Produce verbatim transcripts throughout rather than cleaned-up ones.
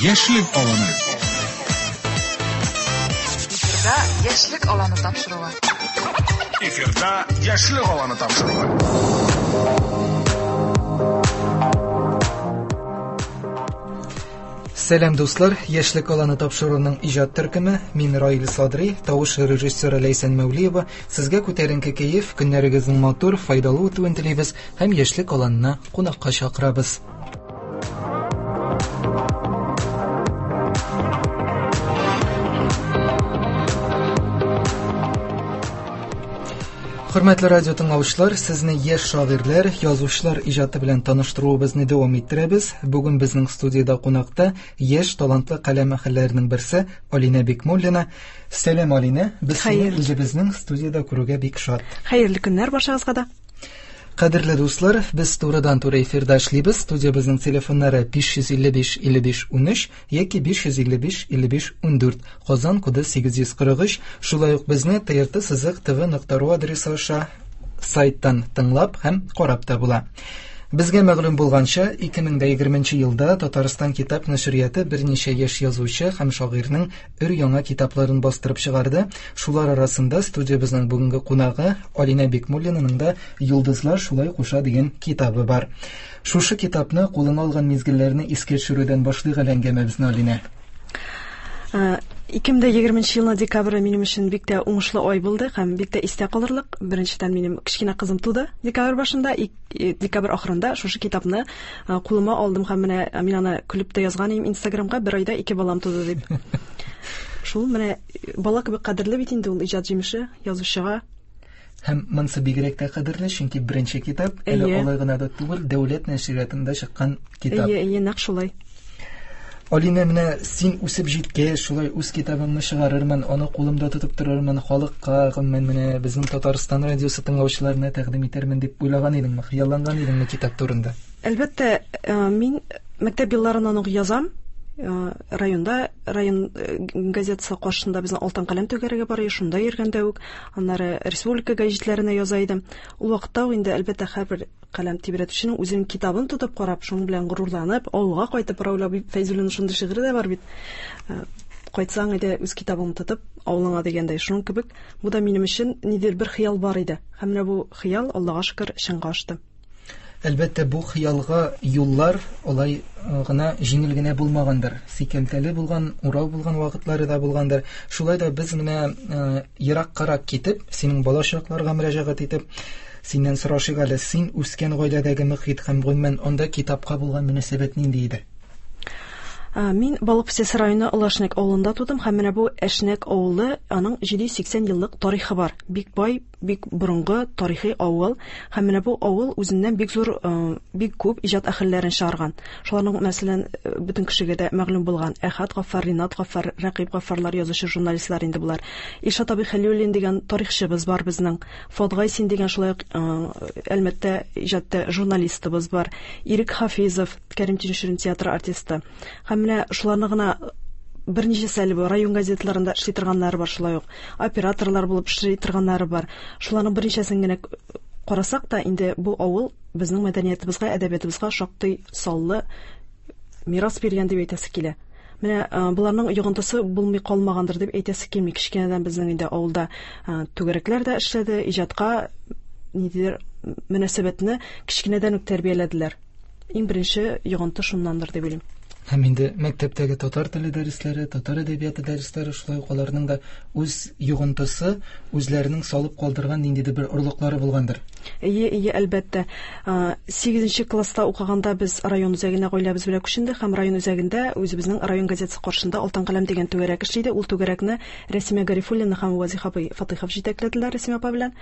Яшьлек аланы. Эфирда Яшьлек аланы тапшыруы. Эфирда Яшьлек аланы тапшыруы. Сәлам, дуслар! Яшьлек аланы тапшыруының иҗат төркеме. Мин Раил Садри, тавыш режиссеры Ләйсән Мәүлиева. Сезгә күтәренке кәеф, көннәрегезнең матур, файдалы үтүен телибез һәм Яшьлек аланына кунакка чакырабыз. Хөрмәтле радио тыңлаучылар, сезне яшь шагыйрьләр, язучылар иҗаты белән таныштыруыбызны дәвам иттерәбез. Бүген безнең студиядә кунакта яшь талантлы каләм әһелләренең берсе Алинә Бикмуллина. Сәлам, Алинә. Без сине үзебезнең студиядә күрүгә бик шат. Хәерле көннәр баршагызга да. Кадерле дуслар, без турыдан-туры эфирда эшлибез. Студиябезнең телефоннары биш йөз илле биш илле биш унөч яки биш йөз илле биш илле биш ундүрт, Казан коды сигез йөз кырык өч. Шулай ук безне Т Р Т сызык Т В нокта ру адресы аша сайттан тыңлап һәм карап та була. Безгә мәгълүм булганча, ике мең дә егерменче елда Татарстан китап нәшрияты берничә яшь язучы һәм шагыйрьнең өр-яңа китапларын бастырып чыгарды. Шулар арасында студиябезнең бүгенге кунагы Алинә Бикмуллинаның да Йолдызлар шулай куша дигән китабы бар. Шушы китапны кулыңа алган мизгелләрне искә төшерүдән башлыйк әле әңгәмәбезне, Алинә. Ике мең дә егерменче елның декабре минем өчен бик тә уңышлы ай булды һәм бик тә истә калырлык. Беренчедән, минем кечкенә кызым туды декабрь башында, декабрь ахырында шушы китапны кулыма алдым һәм менә мин аны көлеп тә язган идем Инстаграмга, бер айда ике балам туды дип. Шул менә бала кебек кадерле бит инде ул иҗат җимеше язучыга. Һәм монысы бигрәк тә кадерле, чөнки беренче китап, әле алай гына да түгел, дәүләт нәшриятында чыккан китап. Әйе, әйе, нәкъ шулай. Алинә, менә син үсеп җиткәч, шулай үз китабыңны чыгарырмын, аны кулымда тотып торырмын, халыкка, гомумән менә безнең Татарстан радиосы тыңлаучыларына тәкъдим итәрмен дип уйлаган идеңме, хыялланган идеңме китап турында? Әлбәттә, мин мәктәп елларыннан ук язам. Районда, район газетасы каршында безнең Алтын каләм түгәрәге бар иде, шунда йөргәндә үк, аннары республика гәҗитләренә яза идем. Ул вакытта ук инде әлбәттә һәрбер каләм тибрәтүченең үзенең китабын тотып карап, шуның белән горурланып, авылга кайтып, Раул абый Фәйзуллинның шундый шигыре дә бар бит. Кайтсаң иде үз китабыңны тотып авылыңа дигәндәй, шуның кебек бу да минем өчен нидер бер хыял бар иде. Һәм менә бу хыял, Аллага шөкер, чынга ашты. Әлбәттә, бу хыялга юллар алай гына җиңел генә булмагандыр. Сикәлтәле булган, урау булган вакытлары да булгандыр. Шулай да без менә ераккарак китеп, синең балачакларга мөрәҗәгать итеп, синнән сорашыйк әле, син үскән гаиләдәге мөхит һәм гомумән анда китапка булган мөнәсәбәт нинди иде? Мин Балык Бистәсе районы Олы Әшнәк авылында тудым һәм менә бу Әшнәк авылы, аның җиде йөз сиксән еллык тарихы бар. Бик бай, бик борынгы тарихи авыл. Һәм менә бу авыл үзеннән бик зур, бик күп иҗат әһелләрен чыгарган. Шуларның, мәсәлән, бөтен кешегә дә мәгълүм булган Әхәт Гаффар, Ринат Гаффар, Рәкыйп Гаффарлар, язучы, журналистлар инде булар. Илшат абый Хәлиуллин дигән тарихчыбыз бар безнең. Фуат Гайсин дигән шулай ук Әлмәттә иҗатта журналистыбыз бар. Ирек Хафизов, Кәрим Тинчурин театры артисты. Һәм менә шуларны гына берничәсе әле бу район газетларында эшли торганнары бар, шулай ук операторлар булып эшли торганнары бар. Шуларның берничәсен генә карасак та, инде бу авыл безнең мәдәниятыбызга, әдәбиятыбызга шактый саллы мирас биргән дип әйтәсе килә. Менә боларның йогынтысы булмый калмагандыр дип әйтәсе килми. Кечкенәдән безнең инде авылда түгәрәкләр дә эшләде, иҗатка ниндидер мөнәсәбәтне кечкенәдән үк тәрбияләделәр. Иң беренче йогынты шуннандыр дип уйлыйм. Һәм инде мәктәптәге татар теле дәресләре, татар әдәбияты дәресләре шулай ук аларның да үз йогынтысы, үзләренең салып калдырган ниндидер бер орлыклары булгандыр. Әйе, әйе, әлбәттә. Сигезенче класста укыганда без район үзәгенә гаиләбез белән күчендек һәм район үзәгендә үзебезнең район газетасы каршында Алтын каләм дигән түгәрәк эшли иде. Ул түгәрәкне Рәсимә Гарифуллина һәм Вазих абый Фатыйхов җитәкләделәр Рәсимә апа белән.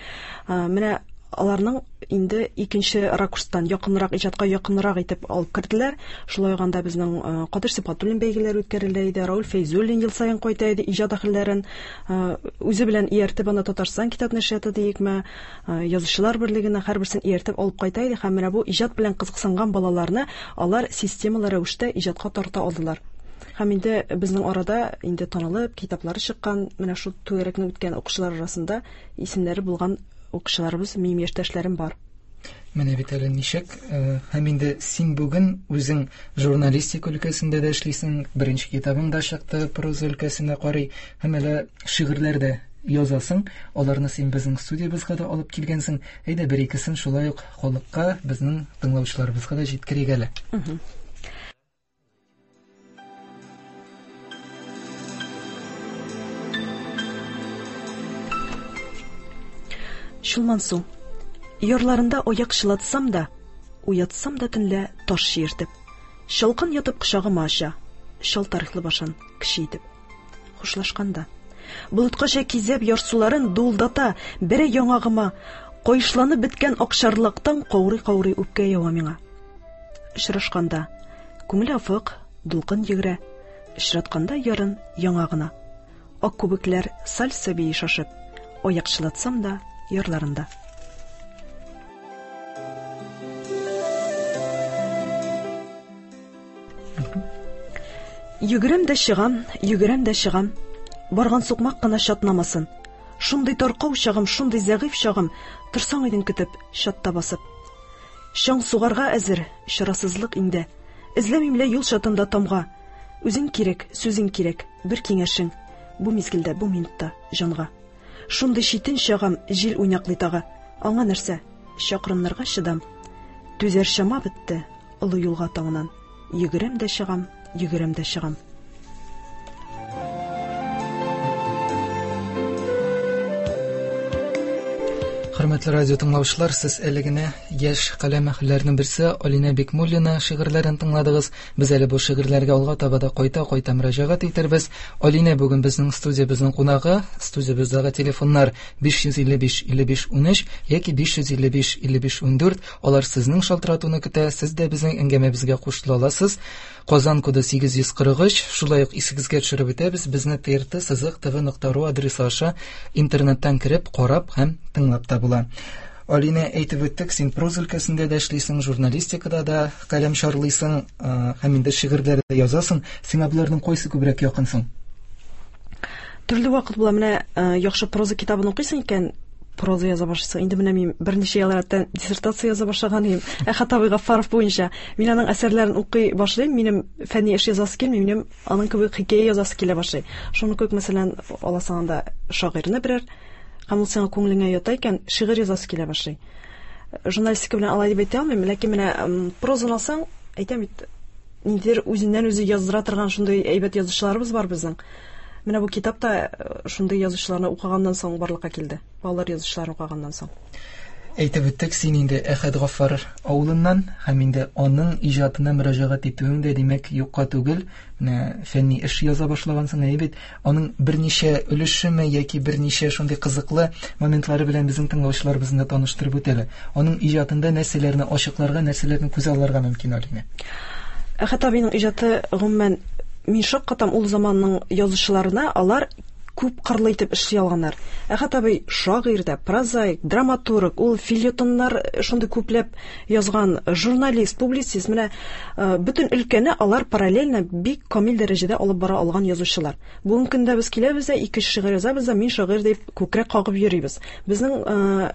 Менә аларның инде икенче ракурстан якынрак, иҗатка якынрак итеп алып керделәр. Шулай ук анда безнең Кадыр Сибгатуллин бәйгеләре үткәрелә иде, Раул Фәйзуллин ел саен кайта иде, иҗат әһелләрен үзе белән ияртеп анда Татарстан китап нәшрияты диекме, язучылар берлегенә һәрберсен ияртеп алып кайта иде. Һәм менә бу иҗат белән кызыксынган балаларны алар системалы рәвештә иҗатка тарта алдылар. Һәм инде безнең арада инде танылып, китаплары чыккан, менә шул түгәрәкне үткән укучылар арасында исемнәре булган укучыларыбыз, минем яшьтәшләрем бар. Менә бит әле ничек, һәм инде син бүген үзең журналистика өлкәсендә дә эшлисең, беренче китабың да чыкты, проза өлкәсенә карый, һәм әле шигырьләр дә язасың, аларны син безнең студиябезгә дә алып килгәнсең. Әйдә, бер икесен шулай ук халыкка, безнең тыңлаучыларыбызга да җиткерик әле. Чулмансу. Ярларында аяк чылатсам да, уятсам да төнлә таш чиертеп, чалкан ятып кочагыма ача, чал тарихлы башын кеше итеп. Хушлашканда, болыткача кизәп ярсуларын дулдата, бере яңагыма, кайышланып беткән акчарлактан каурый-каурый үпкә ява миңа. Очрашканда, күңел афык, дулкын йөгерә, очратканда ярын яңа гына. Ак күбекләр сальса бии шашып, аяк чылатсам да ярларында. Йөгерәм дә чыгам, йөгерәм дә чыгам. Барган сукмак кына чатнамасын. Шундый таркау чагым, шундый зәгыйф чагым, торсаң идең көтеп, чатта басып. Чаң сугарга әзер, чарасызлык инде. Эзләмим лә юл чатында тамга. Үзең кирәк, сүзең кирәк, бер киңәшең. Бу мизгелдә, бу минутта җанга. Шундый читен чагым, җил уйнаклый тагы. Аңа нәрсә? Чакрымнарга чыдам. Түзәр чама бетте, олы юлга таңнан. Йөгерәм дә чыгам, йөгерәм дә чыгам. Хөрмәтле радио тыңлаучылар, сез әле генә яшь каләм әһелләренең берсе Алинә Бикмуллина шигырьләрен тыңладыгыз. Без әле бу шигырьләргә алга таба да кайта-кайта мөрәҗәгать итәрбез. Алинә бүген безнең студиябезнең кунагы. Студиябездәге телефоннар биш йөз илле биш илле биш унөч яки биш йөз илле биш илле биш ундүрт. Алар сезнең шалтыратуны көтә. Сез дә безнең әңгәмәбезгә кушыла аласыз. Казан коды сигез йөз кырык өч. Шулай ук исегезгә төшереп үтәбез, безне Т Р Т сызык Т В нокта ру адресы аша интернеттан кереп, карап һәм тыңлап та була. Алинә, әйтеп үттек, син проза өлкәсендә дә эшлисең, журналистикада да каләм чарлыйсың, һәм инде шигырьләр дә язасың. Сиңа боларның кайсы күбрәк якын соң? Төрле вакыт була. Менә яхшы проза китабын укыйсың икән, проза яза башлыйсың. Инде менә мин берничә ел рәттән диссертация яза башлаган идем. Әхәт абый Гаффаров буенча. Мин аның әсәрләрен укый башлыйм, минем фәнни эш язасы килми, минем аның кебек хикәя язасы килә башлый. Шуны кебек, мәсәлән, аласың анда шагыйрьне берәр, һәм ул сиңа күңелеңә ята икән, шигырь язасы килә башлый. Журналистика белән алай дип әйтә алмыйм, ләкин менә прозаны алсаң, әйтәм бит, ниндидер үзеннән үзе яздыра торган шундый әйбәт язучыларыбыз бар безнең. Менә бу китап та шундый язучыларны укыганнан соң барлыкка килде. Балалар язучыларын укыганнан соң. Әйтеп үттек, син инде Әхәт Гаффар авылыннан һәм инде аның иҗатына мөрәҗәгать итүең дә, димәк, юкка түгел. Менә фәнни эш яза башлагансың, әйе бит. Аның берничә өлешеме яки берничә шундый кызыклы моментлары белән безнең тыңлаучыларыбызны да таныштырып үтәле. Аның иҗатында нәрсәләрне ачыкларга, нәрсәләрне күз алларга мөмкин, Алинә? Әхәт абыйның иҗаты гомумән мин шаккатам ул заманның язучыларына, алар күп кырлы итеп эшли алганнар. Әхәт абый шагыйрь дә, прозаик, драматург, ул фельетоннар шундый күпләп язган, журналист, публицист. Менә бөтен өлкәне алар параллельно бик камил дәрәҗәдә алып бара алган язучылар. Бүгенге көндә без киләбез дә ике шигырь язабыз да, мин шагыйрь дип күкрәк кагып йөрибез. Безнең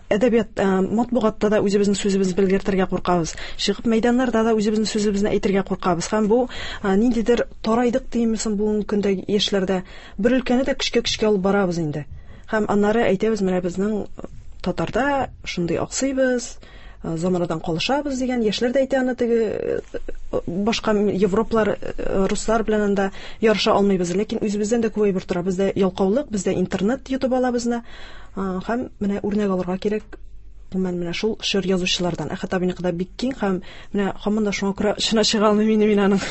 әдәбият, матбугатта да үзебезнең сүзебезне белгертергә куркабыз. Чыгып мәйданнарда да үзебезнең сүзебезне әйтергә куркабыз. Һәм бу ниндидер тарайдык димесен бүгенге көндә яшьләрдә. Бер өлкәне дә көчкә көчкә алып барабыз инде. Һәм аннары әйтәбез, менә безнең татарда шундый аксыйбыз, заманадан калышабыз дигән яшьләр дә әйтә аны, теге башка европалар, руслар белән анда ярыша алмыйбыз, ләкин үзебездән дә күп әйбер тора. Бездә ялкаулык, бездә интернет йотып ала безне. Һәм менә үрнәк алырга кирәк. Гомумән менә шул чор язучылардан. Әхәт абыйныкы да бик киң һәм менә һаман да шуңа күрә чына чыга алмыйм инде мин аның.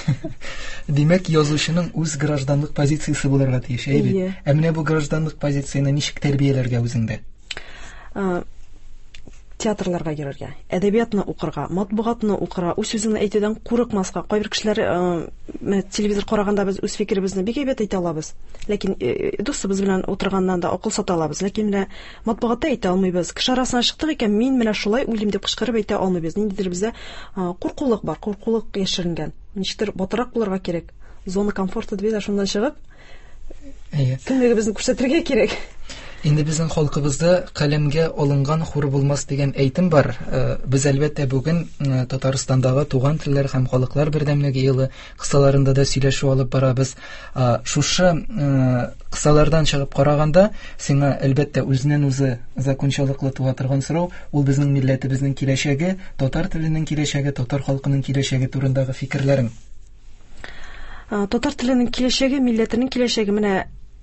Димәк, язучының үз гражданлык позициясе булырга тиеш, әйе бит? Ә менә бу гражданлык позицияне ничек тәрбияләргә үзеңдә? Театрларга йөрергә, әдәбиятны укырга, матбугатны укырга, үз сүзеңне әйтүдән курыкмаска. Кайбер кешеләр, менә телевизор караганда без үз фикеребезне бик әйбәт әйтә алабыз. Ләкин дустыбыз белән утырганнан да акыл сата алабыз. Ләкин менә матбугатта әйтә алмыйбыз. Кеше арасына чыктык икән, мин менә шулай уйлыйм дип кычкырып әйтә алмыйбыз. Ниндидер бездә куркулык бар, куркулык яшеренгән. Ничектер батырак булырга кирәк. Зона комфорта дип әйтә, шуннан чыгып, кемлегебезне күрсәтергә кирәк. Инде безнең халкыбызда каләмгә алынган хур булмас дигән әйтем бар. Без әлбәттә бүген Татарстандагы туган телләр һәм халыклар бердәмлеге елы кысаларында да сөйләшү алып барабыз. Шушы кысалардан чыгып караганда, сиңа әлбәттә үзеннән үзе закончалыклы туа торган сорау, ул безнең милләтебезнең киләчәге, татар теленең киләчәге, татар халкының киләчәге турындагы фикерләрең. Татар теленең киләчәге, милләтенең киләчәге менә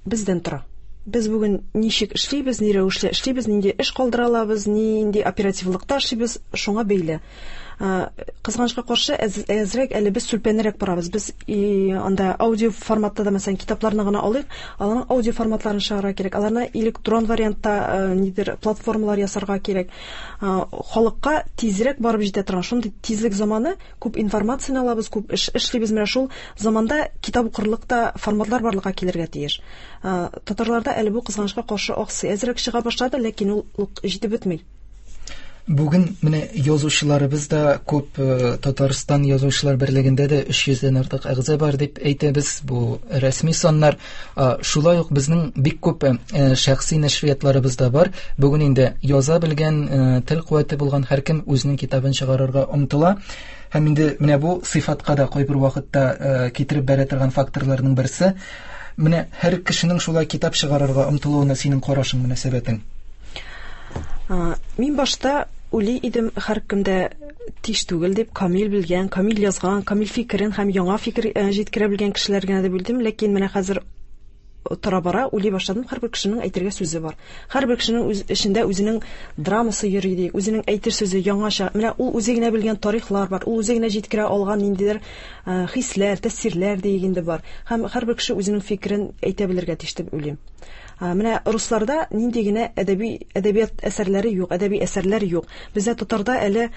бездән тора. Без бүген ничек эшлибез, ни рәвешле эшлибез, нинди эш калдыра алабыз, нинди оперативлыкта эшлибез, шуңа бәйле. Кызганычка каршы, әзрәк әле без сүлпәнрәк барабыз. Без анда аудио форматта да, мәсәлән, китапларны гына алыйк, аларның аудио форматларын чыгарырга кирәк, аларны электрон вариантта нидер платформалар ясарга кирәк. Халыкка тизрәк барып җитә торган шундый тизлек заманы, күп информацияне алабыз, күп эш эшлибез. Менә шул заманда китап укырлык та форматлар барлыкка килергә тиеш. Татарларда әле бу кызганычка каршы аксый, әзрәк чыга башлады, ләкин ул җитеп бетми. Бүген менә язучыларыбыз да күп, Татарстан язучылар берлегендә дә өч йөздән артык әгъза бар дип әйтәбез, бу рәсми саннар. Шулай ук безнең бик күп шәхси нәшриятларыбыз да бар. Бүген инде яза белгән, тел куәте булган һәркем үзенең китабын чыгарырга омтыла. Һәм инде менә бу сыйфатка да кайбер вакытта китереп бәрә торган факторларның берсе. Менә һәр кешенең шулай китап чыгарырга омтылуына синең карашың, мөнәсәбәтең? Мин башта уйлый идем, һәркемдә тиш түгел дип, камил белгән, камил язган, камил фикерен һәм яңа фикер җиткерә белгән кешеләр генә дип белдем, ләкин менә хәзер тора-бара уйлый башладым, һәрбер кешенең әйтергә сүзе бар. Һәрбер кешенең үз эчендә үзенең драмасы йөри ди, үзенең әйтер сүзе яңача. Менә ул үзе генә белгән тарихлар бар, ул үзе генә җиткерә алган ниндидер хисләр, тәэсирләр дигәндә бар. Һәм һәрбер кеше үзенең фикерен әйтә белергә тиеш дип уйлыйм. Менә русларда нинди генә әдәби әдәбият әсәрләре юк, әдәби әсәрләр юк. Бездә татарда әле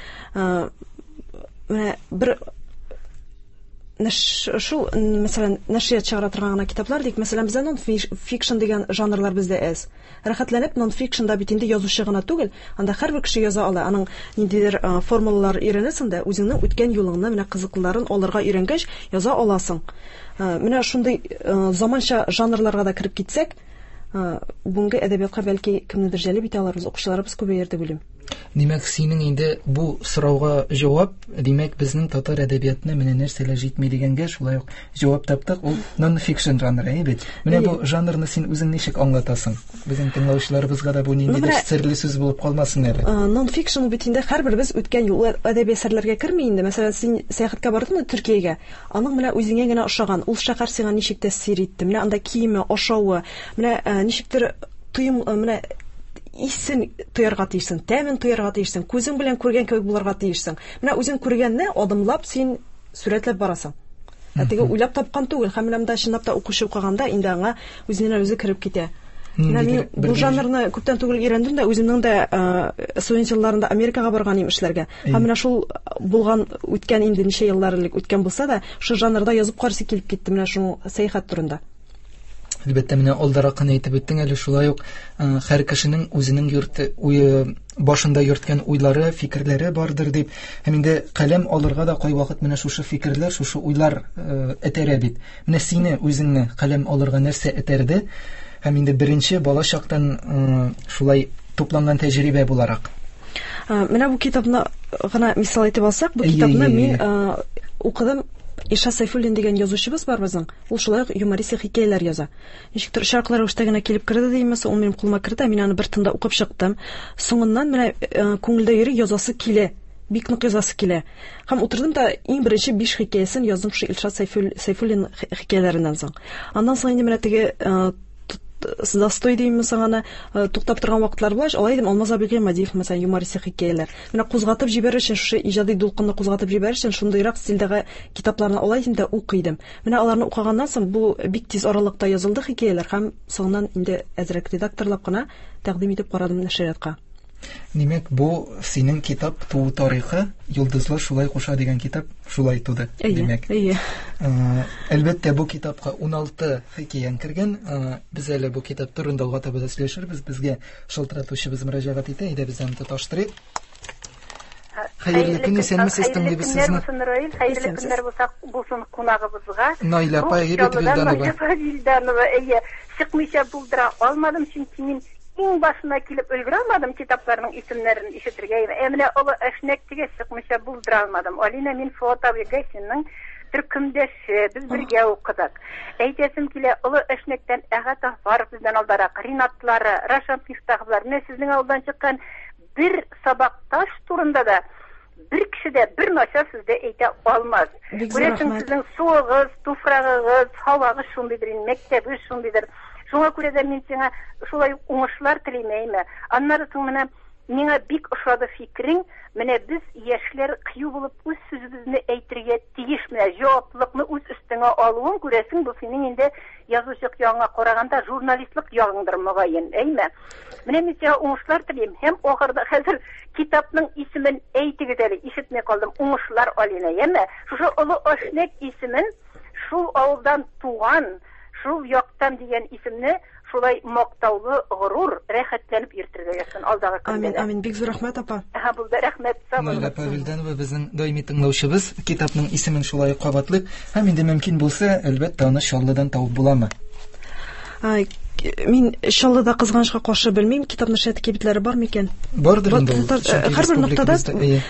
менә бер шул, мәсәлән, нәшрият чыгара торган гына китаплар дик, мәсәлән, бездә нон-фикшн дигән жанрлар бездә әз. Рәхәтләнеп нон-фикшнда бит инде язучы гына түгел, анда һәрбер кеше яза ала. Аның ниндидер формулалар өйрәнәсең дә, үзеңнең үткән юлыңны, менә кызыклыларын алырга өйрәнгәч, яза аласың. Менә шундый заманча жанрларга да кереп китсәк, бүгенге әдәбиятка бәлки кемнедер җәлеп итә аларбыз, укучыларыбыз күбәер дип уйлыйм. Димәк, синең инде бу сорауга җавап, димәк, безнең татар әдәбиятына менә нәрсәләр җитми дигәнгә шулай ук җавап таптык. Ул нон-фикшн жанры, әйе бит? Менә бу жанрны син үзең ничек аңлатасың? Безнең тыңлаучыларыбызга да бу ниндидер серле сүз булып калмасын әле. Нон-фикшн бит инде һәрберебез үткән юл әдәби әсәрләргә керми инде. Мәсәлән, син сәяхәткә бардың Төркиягә, аның менә үзеңә генә ошаган, ул шәһәр сиңа ничек тәэсир итте? Менә анда киеме, ашавы, менә ничектер тоем, менә исен тоярга тиешсең, тәмен тоярга тиешсең, күзең белән күргән кебек булырга тиешсең. Менә үзең күргәнне адымлап син сурәтләп барасың. Ә теге уйлап тапкан түгел, һәм менә монда чынлап та укучы укыганда инде аңа үзеннән үзе кереп китә. Менә мин бу жанрны күптән түгел өйрәндем дә, үземнең дә студент елларында Америкага барган идем эшләргә. Һәм менә шул булган үткән инде ничә еллар элек үткән булса да, шул жанрда язып каршы килеп китте менә шул сәяхәт турында. Әлбәттә, менә алдарак кына әйтеп үттең әле, шулай ук һәр кешенең үзенең йорты, уе, башында йөрткән уйлары, фикерләре бардыр дип. Һәм инде каләм алырга да кайвакыт менә шушы фикерләр, шушы уйлар этәрә бит. Менә сине үзеңне каләм алырга нәрсә этәрде? Һәм инде беренче бала чактан шулай тупланган тәҗрибә буларак. Менә бу китапны гына мисал итеп алсак, бу китапны мин укыдым. Илшат Сайфуллин дигән язучыбыз бар безнең. Ул шулай ук юмористик хикәяләр яза. Ничектер очраклы рәвештә генә килеп керде димме, ул минем кулыма керде, мин аны бер тында укып чыктым. Соңыннан менә күңелдә йөри, язасы килә, бик нык язасы килә. Һәм утырдым да иң беренче биш хикәясен яздым шул Илшат Сайфуллин хикәяләреннән соң. Аннан соң инде менә теге застой деймме соң аны, туктап торган вакытлар була, алай идем Алмаз абый Гыймадиев, мәсәлән, юмористик хикәяләр. Менә кузгатып җибәрер өчен, шушы иҗади дулкынны кузгатып җибәрер өчен шундыйрак стильдәге китапларны алай идем дә укый идем. Менә аларны укыганнан соң бу бик тиз аралыкта язылды хикәяләр һәм соңыннан инде әзрәк редакторлап кына тәкъдим итеп карадым нәшриятка. Димәк, бу синең китап туу тарихы, Йолдызлар шулай куша дигән китап шулай туды, димәк. Әйе. Әлбәттә, бу китапка ун алты хикәяң кергән. Без әле бу китап турында алга таба да сөйләшербез. Безгә шалтыратучыбыз мөрәҗәгать итә, әйдә без аны тоташтырыйк. Хәерле көн, исәнмесез, тыңлыйбыз сезне. Хәерле көннәр булса булсын кунагыбызга. Наилә апа, әйбәт Вилданова. Вилданова, әйе, чыкмыйча булдыра алмадым, чөнки мин Иң башына килеп өлгерә алмадым китапларның исемнәрен ишетергә. Ә менә Олы Әшнәк дигәч чыкмыйча булдыра алмадым. Алина, мин Фуат абый Гайсинның төркемдәше, без бергә укыдык. Әйтәсем килә, Олы Әшнәктән Әхәт Афаров бездән алдарак, Ринатлары, Рашат Мифтаховлар, менә сезнең авылдан чыккан бер сабакташ турында да бер кеше дә бер начар сүз дә әйтә алмас. Күрәсең, сезнең суыгыз, туфрагыгыз, һавагыз шундыйдыр, инде мәктәбегез шундыйдыр. Шуңа күрә дә мин сиңа шулай уңышлар телим. Аннары соң менә миңа бик ошады фикерең, менә без яшьләр кыю булып үз сүзебезне әйтергә тиеш, менә җаваплылыкны үз өстеңә алуың, күрәсең, бу синең инде язучылык ягыңа караганда журналистлык ягыңдыр мөгаен, әйме? Менә мин сиңа уңышлар телим һәм ахырда хәзер китапның исемен әйтегез әле, ишетмей калдым. Уңышлар, Алина, әйме? Шушы Олы Әшнәк исемен шул авылдан туган, шул яктан дигән исемне шулай мактаулы, горур, рәхәтләнеп йөртергә язсын алдагы көндә. Амин, амин. Бик зур рәхмәт, апа. Һа, булды, рәхмәт. Сау булыгыз. Наилә Вилданова безнең даими тыңлаучыбыз. Китапның исемен шулай кабатлыйк. Һәм инде мөмкин булса, әлбәттә, аны Чаллыдан табып буламы? Мин Чаллыда кызганычка каршы белмим, китап нәшрияты кибетләре бар микән? Бардыр инде ул. Һәрбер ноктада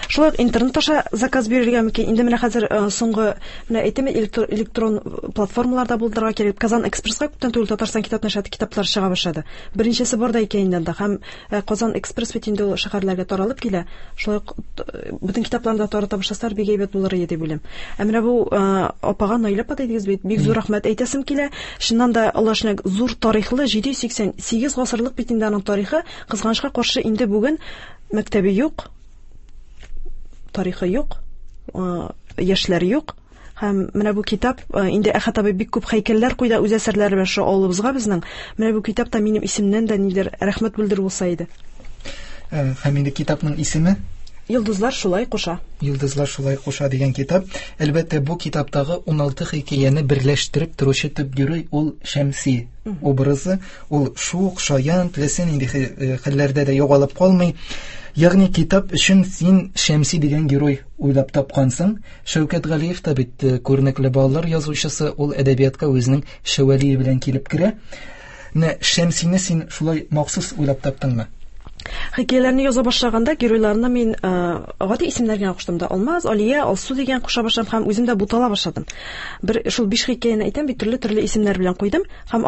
шулай ук интернет аша заказ бирергә мөмкин. Инде менә хәзер соңгы менә әйтәм, электрон платформаларда булдырырга кирәк. Казан Экспресска күптән түгел Татарстан китап нәшрияты китаплары чыга башлады. Беренчесе бар да икән инде анда. Һәм Казан Экспресс бит инде ул шәһәрләргә таралып килә. Шулай ук бөтен китапларны да тарата башласалар бик әйбәт булыр иде дип уйлыйм. Ә менә бу апага Наилә апа дидегез бит, бик зур рәхмәт әйтәсем килә. Чыннан да Олы Әшнәк зур тарихлы, җиде йөз сиксән сигез гасырлык бит инде аның тарихы. Кызганычка каршы инде бүген мәктәбе юк, тарихы юк, яшьләр юк. Һәм менә бу китап инде Әхәт абый бик күп һәйкәлләр куйды үз әсәрләре белән шул авылыбызга безнең. Менә бу китап та минем исемнән дә нидер рәхмәт белдерү булса иде. Һәм инде китапның исеме Йолдызлар шулай куша. Йолдызлар шулай куша дигән китап. Әлбәттә, бу китаптагы ун алты хикәяне берләштереп торучы төп герой ул Шәмси образы. Ул шук, шаян, теләсә нинди хәлләрдә дә югалып калмый. Ягъни китап өчен син Шәмси дигән герой уйлап тапкансың. Шәүкәт Галиев та бит күренекле балалар язучысы, ул әдәбиятка үзенең Шәвәлие белән килеп керә. Менә Шәмсине син шулай махсус уйлап таптыңмы? Хикәяләрне яза башлаганда геройларына мин гади исемнәр генә куштым да. Алмаз, Алия, Алсу дигән куша башладым һәм үзем дә бутала башладым. Бер шул биш хикәяне әйтәм бит, төрле-төрле исемнәр белән куйдым һәм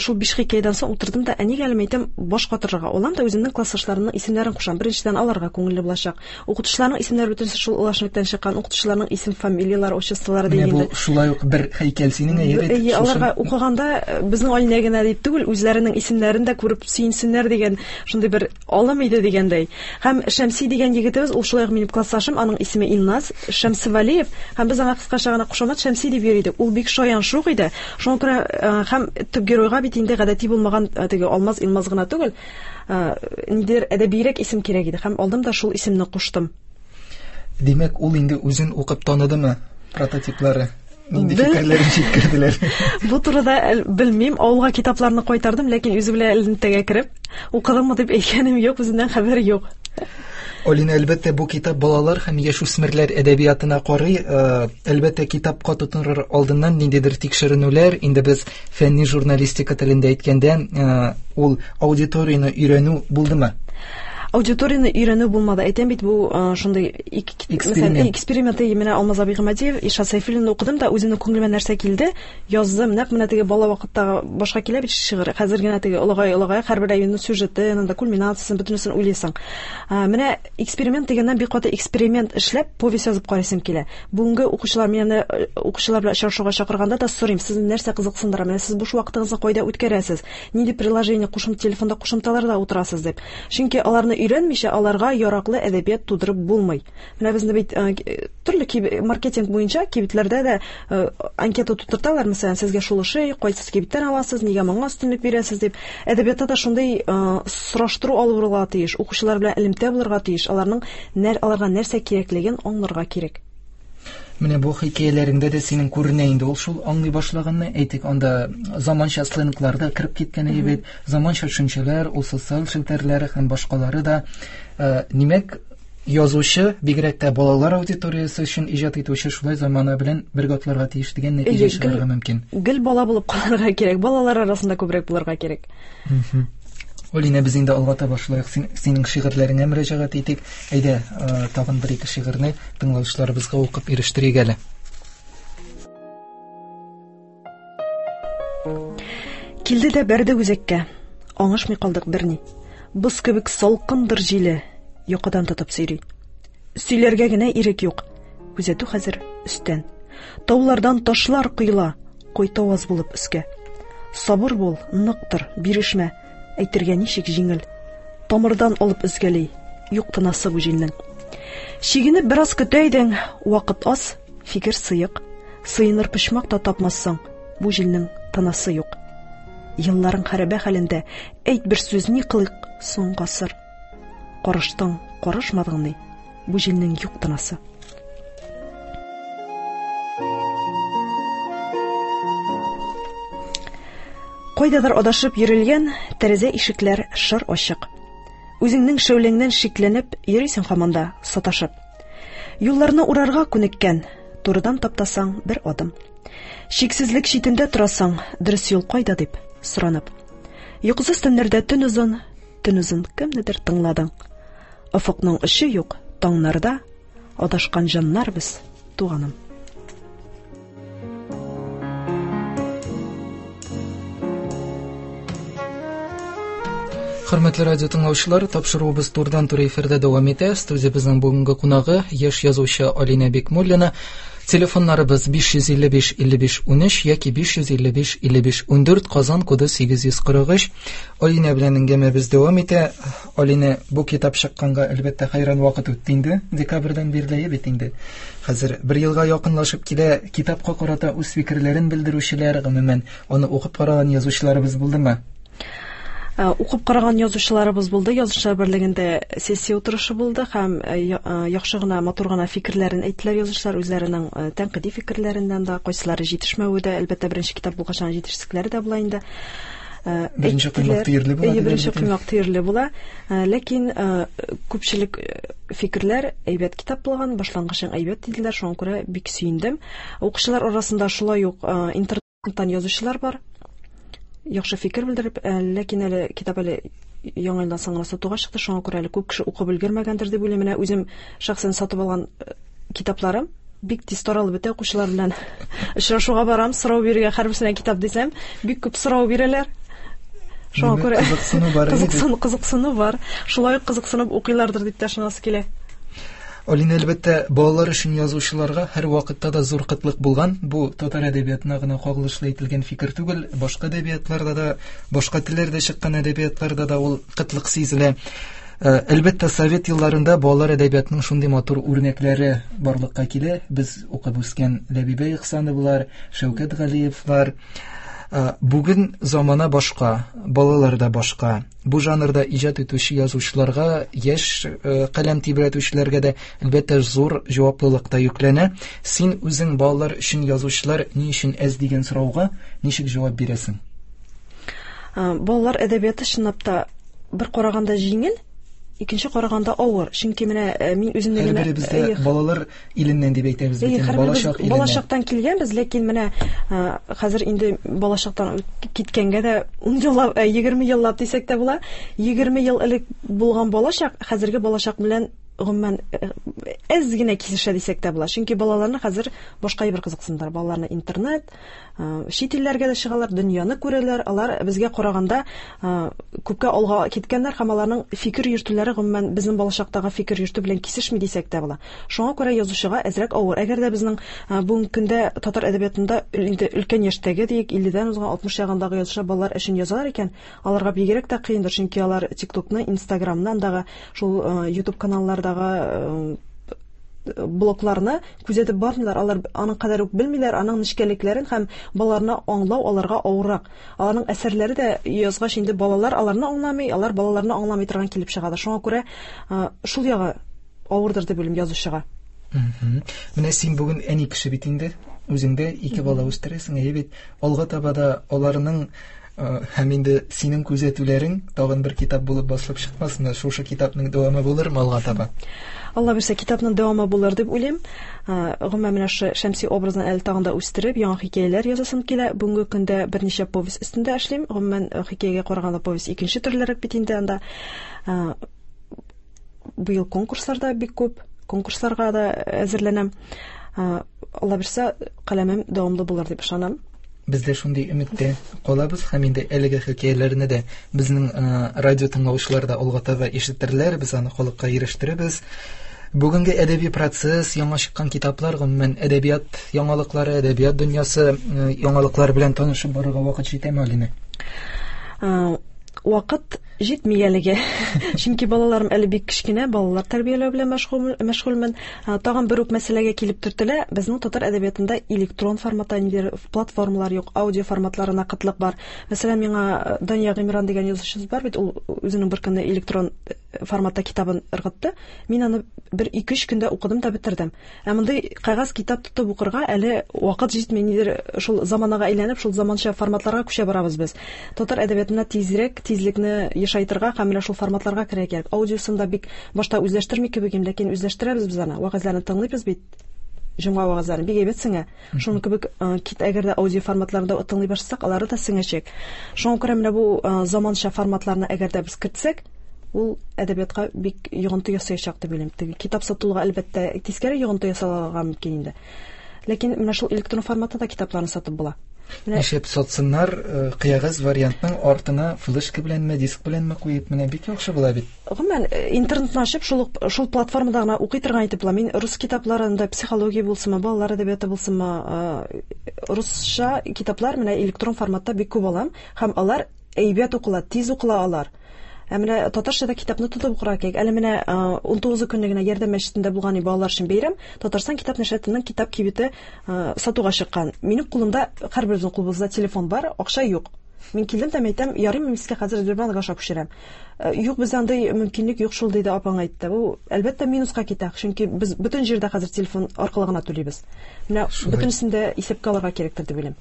шул биш хикәядән соң утырдым да, ә нигә әле әйтәм, баш катырырга алам да үземнең классташларымның исемнәрен кушам. Беренчедән, аларга күңелле булачак. Укытучыларның исемнәре бөтенесе шул Олы Әшнәктән чыккан, укытучыларның исем, фамилияләре, отчестволары дигәндә. Менә бу шулай ук бер һәйкәл синең, әйе бит. Әйе, аларга укыганда безнең Алинә генә дип түгел, үзләренең исемнәрен дә күреп сөенсеннәр дигән шундый бер алым иде дигәндәй. Һәм Шәмси дигән егетебез, ул шулай ук минем классташым, аның исеме Илназ Шәмсевалиев, һәм без аңа кыскача гына кушамат Шәмси дип йөри идек. Ул бик шаян шук иде. Шуңа күрә һәм төп геройга бит инде гадәти булмаган теге Алмаз Илмаз гына түгел, ниндидер әдәбирәк исем кирәк иде. Һәм алдым да шул исемне куштым. Димәк, ул инде үзен укып таныдымы прототиплары? Нинди фикерләрен җиткерделәр? Бу турыда белмим. Авылга китапларны кайтардым, ләкин үзе белән элемтәгә кереп, укыдыммы дип әйткәнем юк, үзеннән хәбәр юк. Алина, әлбәттә, бу китап балалар һәм яшүсмерләр әдәбиятына карый. Әлбәттә, китапка тотыныр алдыннан ниндидер тикшеренүләр, инде без фәнни журналистика телендә әйткәндә, ул аудиторияне өйрәнү булдымы? Аудиторияне өйрәнү булмады. Әйтәм бит, бу шундый эксперимент. Эксперимент менә Алмаз абый Гыймадиев, Илшат Сәйфуллинны укыдым да, үземнең күңелемә нәрсә килде, яздым. Нәкъ менә теге бала вакыттагы башка килә бит шигырь. Хәзер генә теге олыгая-олыгая һәрбер әйбернең сюжеты, анда кульминациясын, бөтенесен уйлыйсың. Менә эксперимент дигәннән бик каты эксперимент эшләп, повесть язып карыйсым килә. Бүгенге укучылар мине укучылар белән очрашуга чакырганда да сорыйм, сезне нәрсә кызыксындыра? Менә сез буш вакытыгызны кайда үткәрәсез? Нинди приложение, кушым телефонда кушымталарда утырасыз дип. Чөнки аларны өйрәнмичә аларга яраклы әдәбият тудырып булмый. Менә безне бит төрле маркетинг буенча кибетләрдә дә анкета тутырталар, мәсәлән, сезгә шул ошый, кайсы кибеттән аласыз, нигә моңа өстенлек бирәсез дип. Әдәбиятта да шундый сораштыру алып барырга тиеш, укучылар белән элемтә булырга тиеш, аларның аларга нәрсә кирәклеген аңларга кирәк. Менә бу хикәяләреңдә дә синең күренә инде ул шул аңлый башлаганны, әйтик, анда заманча сленглар да кереп киткән бит, заманча төшенчәләр, ул социаль челтәрләре һәм башкалары да. Димәк, язучы, бигрәк тә балалар аудиториясе өчен иҗат итүче шулай замана белән бергә атларга тиеш дигән нәтиҗә чыгарырга мөмкин. Гел бала булып калырга кирәк, балалар арасында күбрәк булырга кирәк. Алинә, без инде алга таба шулай ук синең шигырьләреңә мөрәҗәгать итик. Әйдә, тагын бер ике шигырьне тыңлаучыларыбызга укып ирештерик әле. Килде дә бәрде үзәккә, аңышмый калдык берни. Боз кебек салкындыр җиле, йокыдан тотып сөйри. Сөйләргә генә ирек юк, күзәтү хәзер өстән. Таулардан ташлар коела, кайтаваз булып өскә. Сабыр бул, ныктыр, бирешмә, әйтергә ничек җиңел. Тамырдан алып өзгәли, юк тынасы бу җилнең. Чигенеп бераз көтә идең, вакыт аз, фикер сыек. Сыеныр почмак та тапмассың, бу җилнең тынасы юк. Елларың хәрабә хәлендә, әйт бер сүз, ни кылыйк соң гасыр. Карыштың, карышмадың ни, бу җилнең юк тынасы. Кайдадыр адашып йөрелгән тәрәзә ишекләр шыр ачык. Үзеңнең шәүләңнән шикләнеп йөрисең һаман да саташып. Юлларны урарга күнеккән, турыдан таптасаң бер адым. Шиксезлек читендә торасың, дөрес юл кайда дип соранып. Йокысыз төннәрдә төн озын, төн озын кемнедер тыңладың. Офыкның очы юк, таңнарда адашкан җаннар без, туганым. Хөрмәтле радио тыңлаучылар, тапшыруыбыз турыдан-туры эфирда дәвам итә. Студиябезнең бүгенге кунагы яшь язучы Алинә Бикмуллина. Телефоннарыбыз биш йөз илле биш илле биш унөч яки биш йөз илле биш илле биш ундүрт, Казан коды сигез йөз кырык өч. Алинә белән әңгәмәбез дәвам итә. Алинә, бу китап чыкканга әлбәттә хәйран вакыт үтте инде, декабрьдән бирле бит инде. Хәзер бер елга якынлашып килә. Китапка карата үз фикерләрен белдерүчеләр, гомумән, аны укып караган язучыларыбыз булдымы? Укып караган язучыларыбыз булды. Язучылар берлегендә сессия утырышы булды һәм яхшы гына, матур гына фикерләрен әйттеләр язучылар, үзләренең тәнкыйди фикерләреннән дә, кайсылары җитешмәве дә, әлбәттә, беренче китап булгач, аның җитешсезлекләре дә була инде. Беренче коймак төерле була. Беренче коймак төерле була. Ләкин күпчелек фикерләр әйбәт китап булган, башлангычың әйбәт диделәр, шуңа күрә бик сөендем. Укучылар арасында шулай ук интернеттан язучылар бар. Яхшы фикер белдереп, ләкин әле китап әле яңа елдан соң гына сатуга чыкты, шуңа күрә әле күп кеше укып өлгермәгәндер дип уйлыйм. Менә үзем шәхсән сатып алган китапларым бик тиз таралып бетә, укучылар белән очрашуга барам, сорау бирергә һәрберсенә китап дисәм, бик күп сорау бирәләр. Шуңа күрә кызыксыну бар. Кызыксыну, кызыксыну бар. Шулай ук кызыксынып укыйлардыр дип тә ышанасы килә. Алинә, әлбәттә, балалар өчен язучыларга һәр вакытта да зур кытлык булган. Бу татар әдәбиятына гына кагылышлы әйтелгән фикер түгел, башка әдәбиятларда да, башка телләрдә чыккан әдәбиятларда да ул кытлык сизелә. Әлбәттә, совет елларында балалар әдәбиятының шундый матур үрнәкләре барлыкка килә. Без укып үскән Ләбибә Ихсановлар, Шәүкәт Галиевлар. Бүген замана башка, балалар да башка. Бу жанрда иҗат итүче язучыларга, яшь каләм тибрәтүчеләргә дә әлбәттә зур җаваплылык та йөкләнә. Син үзең балалар өчен язучылар ни өчен әз дигән сорауга ничек җавап бирәсең? Балалар әдәбияты чынлап та бер караганда җиңел, икенче караганда авыр. Чөнки менә мин үземне генә һәрберебез дә балалар иленнән дип әйтәбез бит, балачак иленнән. Балачактан килгәнбез, ләкин менә хәзер инде балачактан киткәнгә дә ун еллап, егерме еллап дисәк тә була. Егерме ел элек булган балачак хәзерге балачак белән гомумән әз генә кисешә дисәк тә була. Чөнки балаларны хәзер башка бер кызыксындыра. Балаларны интернет, чит илләргә дә чыгалар, дөньяны күрәләр. Алар безгә караганда күпкә алга киткәннәр һәм аларның фикер йөртүләре гомумән безнең балачактагы фикер йөртү белән кисешми дисәк тә була. Шуңа күрә язучыга әзрәк авыр. Әгәр дә безнең бүгенге көндә татар әдәбиятында инде өлкән яшьтәге диек, илледән узган алтмыш ягындагы язучылар балалар өчен язалар икән, аларга бигрәк тә кыендыр, чөнки алар TikTokны, Instagramны, андагы шул YouTube каналларда блокларны күзәтеп бармыйлар, алар аның кадәр үк белмиләр, аның нечкәлекләрен һәм балаларны аңлау аларга авыррак. Аларның әсәрләре дә язгач инде балалар аларны аңламый, алар балаларны аңламый торган килеп чыгады. Шуңа күрә шул ягы авырдыр дип уйлыйм язучыга. Менә син бүген әни кеше бит инде, үзеңдә ике бала үстерәсең, әйе бит. Алга таба да аларның Һәм инде синең күзәтүләрең тагын бер китап булып басылып чыкмасынмы? Шушы китапның дәвамы булырмы алга таба? Алла бирсә, китапның дәвамы булыр дип уйлыйм. Гомумән, менә шу Шәмси образын әле тагын да үстереп, яңа хикәяләр язасым килә. Бүгенге көндә берничә повесть өстендә эшлим. Гомумән, хикәягә караганда повесть икенче төрлерәк бит инде анда. Быел конкурслар да бик күп, конкурсларга да әзерләнәм. Алла бирсә, каләмем дәвамлы булыр дип ышанам. Без дә шундый өметтә калабыз һәм инде әлеге хикәяләрне дә безнең радио тыңлаучылар да алга таба ишетерләр, без аны халыкка ирештерербез. Бүгенге әдәби процесс, яңа чыккан китаплар, гомумән әдәбият яңалыклары, әдәбият дөньясы яңалыклар белән танышып барырга вакыт җитәме, Алинә? Вакыт җитми әлегә. Чөнки балаларым әле бик кечкенә, балалар тәрбияләү белән мәшгульмен. Тагын бер үк мәсьәләгә килеп төртелә. Безнең татар әдәбиятында электрон форматта ниндидер платформалар юк, аудио форматларына кытлык бар. Мәсәлән, миңа Дания Гыймран дигән язучыбыз бар бит, ул үзенең бер көндә электрон форматта китабын ыргытты. Мин аны бер ике-өч көндә укыдым да бетердем. Ә мондый кәгазь китап тотып укырга әле вакыт җитми, нидер шул заманага әйләнеп, шул заманча форматларга күчә барабыз без. Татар әдәбиятына тизрәк тизлекне ешайтырга һәм менә шул форматларга керергә кирәк. Аудиосын да бик башта үзләштерми кебек идем, ләкин үзләштерәбез без аны. Вәгазьләрне тыңлыйбыз бит. Җомга вәгазьләрен бик әйбәт сеңә. Шуның кебек кит әгәр дә аудио форматларында тыңлый башласак, алары да сеңәчәк. Шуңа күрә менә бу заманча форматларны әгәр дә без кертсәк, ул әдәбиятка бик йогынты ясаячак дип уйлыйм. Теге китап сатулга әлбәттә тискәре йогынты ясалырга мөмкин инде. Ләкин менә шул электрон форматта да китапларны сатып була. Нишләп сатсыннар, кәгазь вариантның артына флешка беләнме, диск беләнме куеп, менә бик яхшы була бит. Гомумән, интернетны ачып, шул шул платформада гына укый торган итеп була. Мин рус китапларында психология булсынмы, балалар әдәбияты булсынмы, русча китаплар менә электрон форматта бик күп алам һәм алар әйбәт укыла, тиз укыла алар. Ә менә татарча да китапны тотып укырга кирәк. Әле менә ун тугызы көнне генә Ярдәм мәчетендә булган балалар өчен бәйрәм, Татарстан китап нәшриятының китап кибете сатуга чыккан. Минем кулымда, һәрберебезнең кулыбызда телефон бар, акча юк. Мин килдем дә әйтәм, ярыймы, мин сезгә хәзер Сбербанк аша күчерәм. Юк, бездә андый мөмкинлек юк шул, диде апаң әйтте. Бу әлбәттә минуска китә, чөнки без бөтен җирдә хәзер телефон аркылы гына түлибез. Менә бөтенесен дә исәпкә алырга кирәктер дип уйлыйм.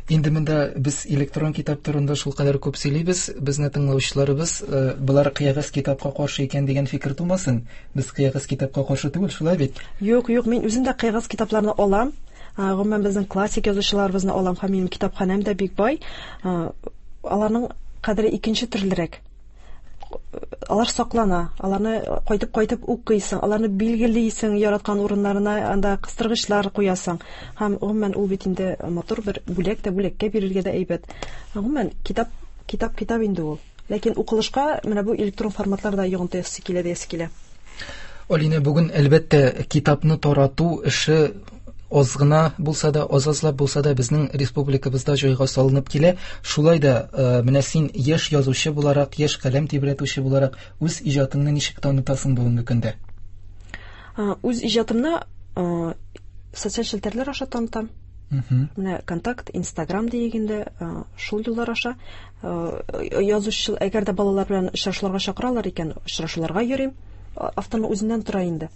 Инде монда без электрон китап турында шулкадәр күп сөйлибез, безне тыңлаучыларыбыз болар кәгазь китапка каршы икән дигән фикер тумасын. Без кәгазь китапка каршы түгел, шулай бит? Юк, юк, мин үзем дә кәгазь китапларны алам. Гомумән, безнең классик язучыларыбызны алам һәм минем китапханәм дә бик бай. Аларның кадере икенче төрлерәк. Алар саклана, аларны кайтып-кайтып укыйсың, аларны билгелисең, яраткан урыннарына анда кыстыргычлар куясың. Һәм гомумән ул бит инде матур бер бүләк тә, бүләккә бирергә дә әйбәт. Гомумән, китап, китап, китап инде ул. Ләкин укылышка менә бу электрон форматларда йогынты ясый килә диясе килә. Алинә, бүген әлбәттә китапны тарату эше аз гына булса да, аз-азлап булса да безнең республикабызда җайга салынып килә. Шулай да менә син яшь язучы буларак, яшь каләм тибрәтүче буларак үз иҗатыңны ничек танытасың бүгенге көндә? Үз иҗатымны социаль челтәрләр аша танытам. Менә Контакт, Инстаграм дигәндә шул юллар аша язучы, әгәр дә балалар белән очрашуларга чакыралар икән, очрашуларга йөрим. Авторның үзеннән тора инде.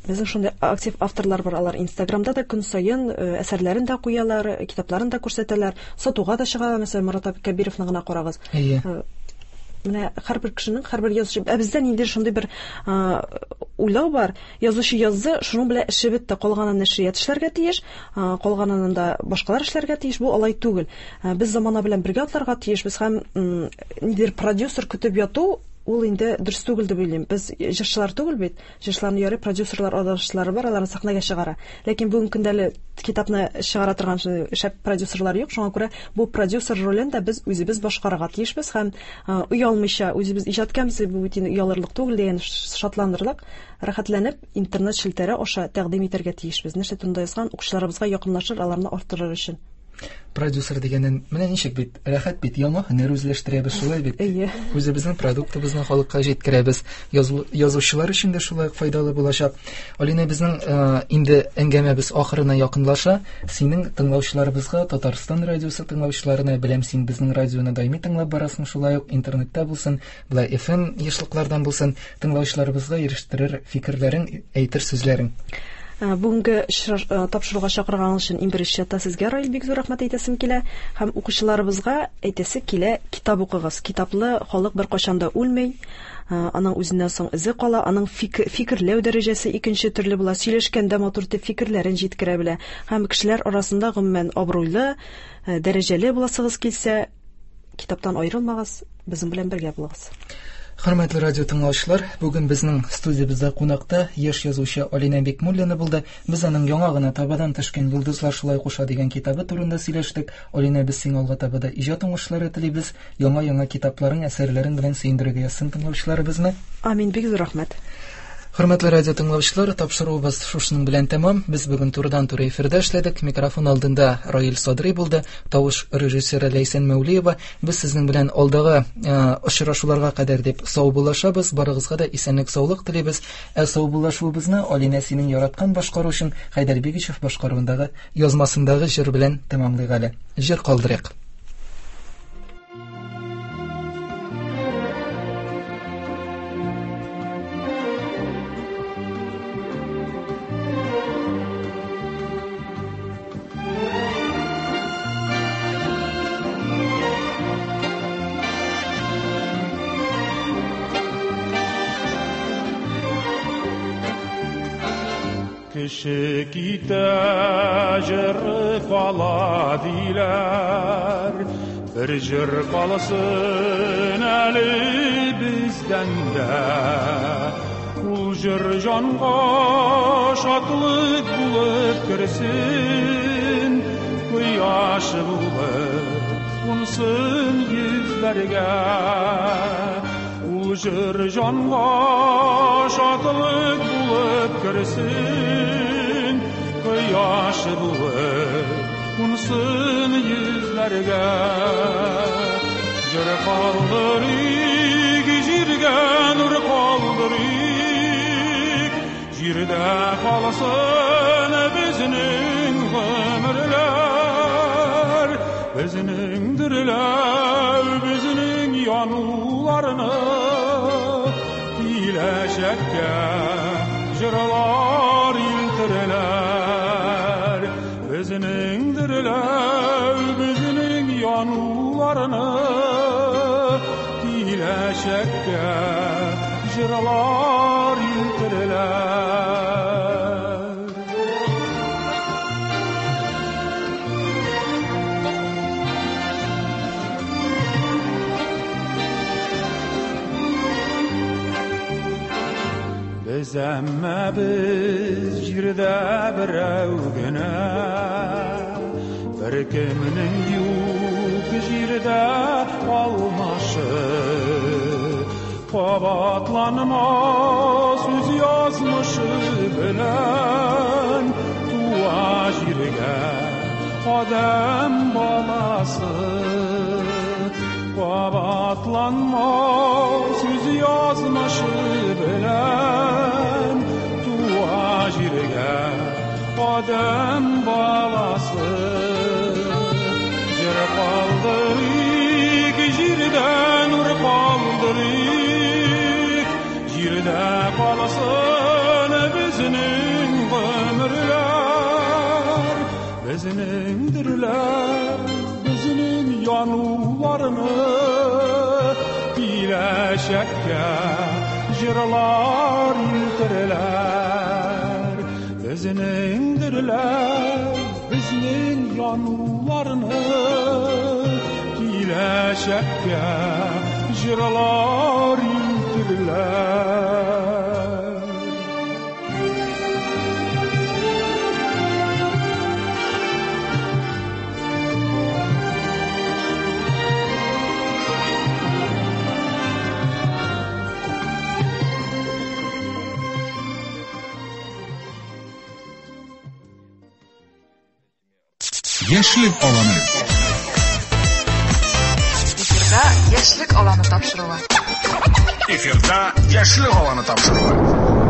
Безнең шундый актив авторлар бар, алар Инстаграмда да көн саен әсәрләрен дә куялар, китапларын да күрсәтәләр, сатуга да чыгалар. Мәсәлән, Марат Кәбировны гына карагыз. Менә һәрбер кешенең, һәрбер язучы, ә бездә ниндидер шундый бер уйлау бар. Язучы язды, шуның белән эше бетте, калганын нәшрият эшләргә тиеш, калганын да башкалар эшләргә тиеш. Бу алай түгел. Без замана белән бергә атларга тиешбез һәм ниндидер продюсер көтеп яту ул инде дөрес түгел дип уйлыйм. Без җырчылар түгел бит. Җырчыларны ярый продюсерлар, адашлары бар, аларны сәхнәгә чыгара. Ләкин бүгенге көндә әле китапны чыгара торган шәп продюсерлар юк. Шуңа күрә бу продюсер ролен дә без үзебез башкарырга тиешбез һәм оялмыйча үзебез иҗат итәбез, бу бит инде оялырлык түгел дигән шатланырлык, рәхәтләнеп интернет челтәре аша тәкъдим итәргә тиешбез. Нәрсә турында язган укучыларыбызга якынлашыр, аларны арттырыр өчен. Продюсер дигәннән менә ничек бит, рәхәт бит, яңа һөнәр үзләштерәбез, шулай бит. Үзебезнең продуктыбызны халыкка җиткерәбез. Язучылар өчен дә шулай ук файдалы булачак. Алинә, безнең инде әңгәмәбез ахырына якынлаша. Синең тыңлаучыларыбызга, Татарстан радиосы тыңлаучыларына, беләм, син безнең радионы даими тыңлап барасың, шулай ук интернетта булсын, былай эф эм ешлыклардан булсын, тыңлаучыларыбызга ирештерер фикерләрең, әйтер сүзләрең. Бүгенге тапшыруга чакырган өчен иң беренче чиратта сезгә, Раил, бик зур рәхмәт әйтәсем килә. Һәм укучыларыбызга әйтәсе килә, китап укыгыз. Китаплы халык беркайчан да үлми. Аның үзеннән соң эзе кала, аның фикерләү дәрәҗәсе икенче төрле була, сөйләшкәндә матур итеп фикерләрен җиткерә белә. Һәм кешеләр арасында гомумән абруйлы, дәрәҗәле буласыгыз килсә, китаптан аерылмагыз, безнең белән бергә булыгыз. Хөрмәтле радио тыңлаучылар, бүген безнең студиябездә кунакта яшь язучы Алинә Бикмуллина булды. Без аның яңа гына табадан төшкән Йолдызлар шулай куша дигән китабы турында сөйләштек. Алинә, без сиңа алга таба да иҗат уңышлары телибез. Яңа-яңа китапларың, әсәрләрең белән сөендерергә язсын тыңлаучыларыбызны. Амин, бик зур рәхмәт. Хөрмәтле радио тыңлаучылар, тапшыруыбыз шушының белән тәмам. Без бүген турыдан-туры эфирда эшләдек. Микрофон алдында Раил Садри булды, тавыш режиссеры Ләйсән Мәүлиева. Без сезнең белән алдагы очрашуларга кадәр дип саубуллашабыз. Барыгызга да исәнлек, саулык телибез. Ә саубуллашуыбызны Алинә синең яраткан башкаручың Хәйдәр Бигичев башкаруындагы язмасындагы җыр белән тәмамлыйк әле. Җыр калдырыйк. Кеше китә, җыр кала диләр, бер җыр калсын әле бездән дә. Ул җыр җанга шатлык булып керсен, кояш булып кунсын йөзләргә. Ул җыр җанга шатлык булып керсен, кояш булып кунсын йөзләргә. Җыр калдырыйк, җиргә нур калдырыйк, җирдә калсын безнең гомерләр, безнең дөрләү, безнең януларны киләчәккә җырлар илтерләр. Безнең дөрләү, безнең януларны киләчәккә җырлар илтерләр. Без әмма без җирдә берәү генә, бер кемнең юк җирдә алмашы. Кабатланмас үз язмышы белән туа җиргә адәм баласы. Кабатланмас үз язмышы белән туа җиргә адәм баласы. Җыр калдырыйк, җирдә нур калдырыйк, җирдә калсын безнең гомерләр, безнең дөрләр, безнең януларны киләчәккә җырлар илтерләр. Безнең дөрләр, безнең януларны киләчәккә җырлар илтерләр. Яшьлек аланы. Эфирда Яшьлек аланы тапшыруы. Эфирда Яшьлек аланы тапшыруы.